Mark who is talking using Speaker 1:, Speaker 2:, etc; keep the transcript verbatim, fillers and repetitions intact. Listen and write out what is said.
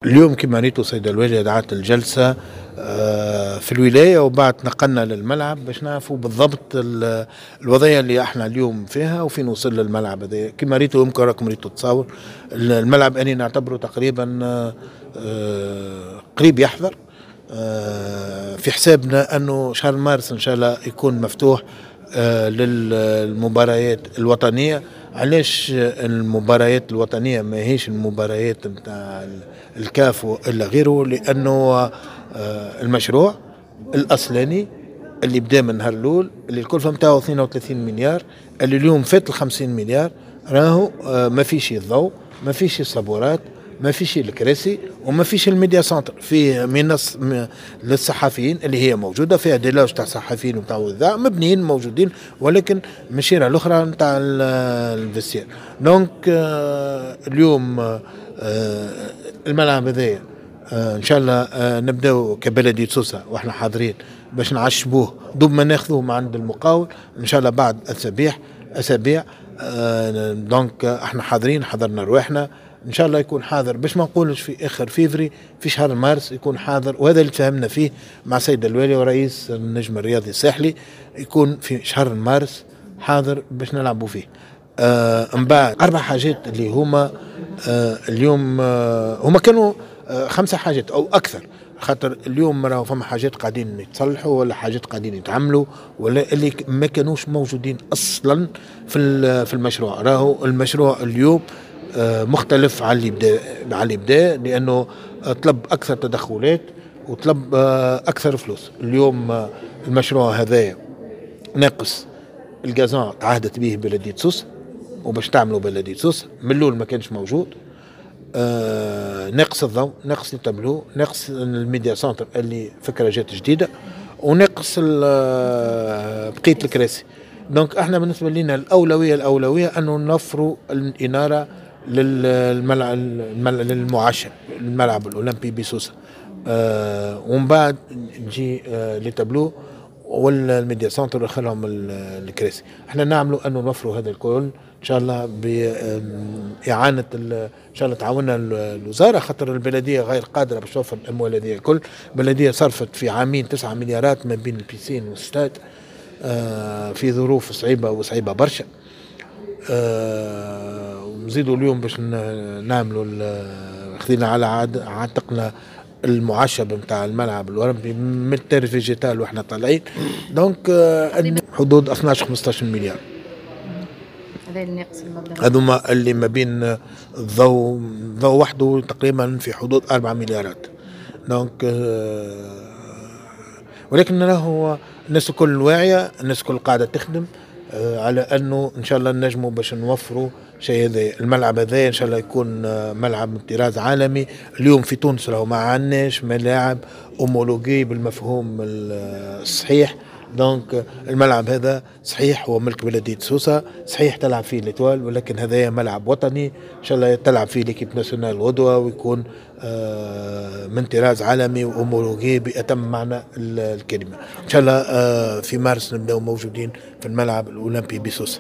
Speaker 1: اليوم كما ريتوا سيد الوالي دعت الجلسة في الولاية، وبعد نقلنا للملعب باش نعرفوا بالضبط الوضعية اللي احنا اليوم فيها وفين وصل الملعب هذا. كما ريتوا يمكن راكم ريتوا تصاور الملعب، اني نعتبره تقريبا قريب يحضر. في حسابنا انه شهر مارس ان شاء الله يكون مفتوح للمباريات الوطنية. علاش المباريات الوطنية ما هيش المباريات نتاع الكاف والا غيره؟ لانه المشروع الاصلاني اللي بدا من نهار الاول اللي الكلفة نتاعو اثنين وثلاثين مليار، اللي اليوم فات ال خمسين مليار، راهو ما فيش الضوء، ما فيش الصبورات، ما فيش الكراسي، وما فيش ال média centre. فيه منص للصحفيين اللي هي موجودة فيها des loges تاع صحفيين وتاع وذا مبنيين موجودين، ولكن من الشيره الاخرى نتاع ال vestiaire. donc اليوم الملعب هذايا ان شاء الله نبداو كبلديه سوسة واحنا حاضرين باش نعشبوه دوب ما ناخذوه من عند المقاول ان شاء الله بعد اسابيع اسابيع. donc احنا حاضرين، حضرنا رواحنا ان شاء الله يكون حاضر، باش ما نقولش في اخر فيفري، في شهر مارس يكون حاضر. وهذا اللي تفاهمنا فيه مع سيد الوالي ورئيس النجم الرياضي الساحلي، يكون في شهر مارس حاضر باش نلعبوا فيه. آه من بعد اربع حاجات اللي هما آه اليوم آه هما كانوا آه خمسة حاجات او اكثر، خاطر اليوم راهو فما حاجات قاعدين يتصلحوا ولا حاجات قاعدين يتعملوا ولا اللي ما كانوش موجودين اصلا في في المشروع. راهو المشروع اليوم مختلف على اللي بدا على اللي بدا، لانه طلب اكثر تدخلات وطلب اكثر فلوس. اليوم المشروع هذايا ناقص ال gazon تعهدت به بلديه سوسة وباش تعملوا بلديه سوسة من الاول ما كانش موجود. آه ناقص الضوء، ناقص التابلو، ناقص ال média centre اللي فكرة جات جديدة، وناقص بقية الكراسي. donc احنا بالنسبة لنا الاولوية الاولوية انه نوفروا الاناره للملعب للمعشب الملعب الاولمبي بسوسه، آه ومن بعد تجي آه les tableaux وال média centre ويدخلهم الكراسي. احنا نعملوا انه نوفروا هذا الكل ان شاء الله باعانه، ان شاء الله تعاوننا الوزارة، خاطر البلدية غير قادرة باش توفر الاموال هذه الكل. البلدية صرفت في عامين تسعة مليارات ما بين ال piscine وال stade آه في ظروف صعيبة وصعيبه برشا. آه ونزيدوا اليوم باش نعملوا، خذينا على عاتقنا المعشب نتاع الملعب الاولمبي من ال terre végétale واحنا طالعين. donc آه حدود اثناش خمسطاش مليار.
Speaker 2: هذا اللي ناقص المبلغ،
Speaker 1: هذوما اللي ما بين الضوء الضوء وحده تقريبا في حدود أربعة مليارات. donc آه ولكن راهو الناس الكل واعية، الناس الكل قاعدة تخدم آه على انه ان شاء الله نجموا باش نوفروا شيء هذا. الملعب هذا ان شاء الله يكون ملعب من طراز عالمي. اليوم في تونس راهو ما عندناش ملاعب homologuée بالمفهوم الصحيح. donc الملعب هذا صحيح هو ملك بلديه سوسة، صحيح تلعب فيه l'Étoile، ولكن هذا ملعب وطني ان شاء الله تلعب فيه l'équipe nationale غدوه، ويكون من طراز عالمي و homologué بأتم معنى الكلمة. ان شاء الله في مارس نبداو موجودين في الملعب الاولمبي بسوسه.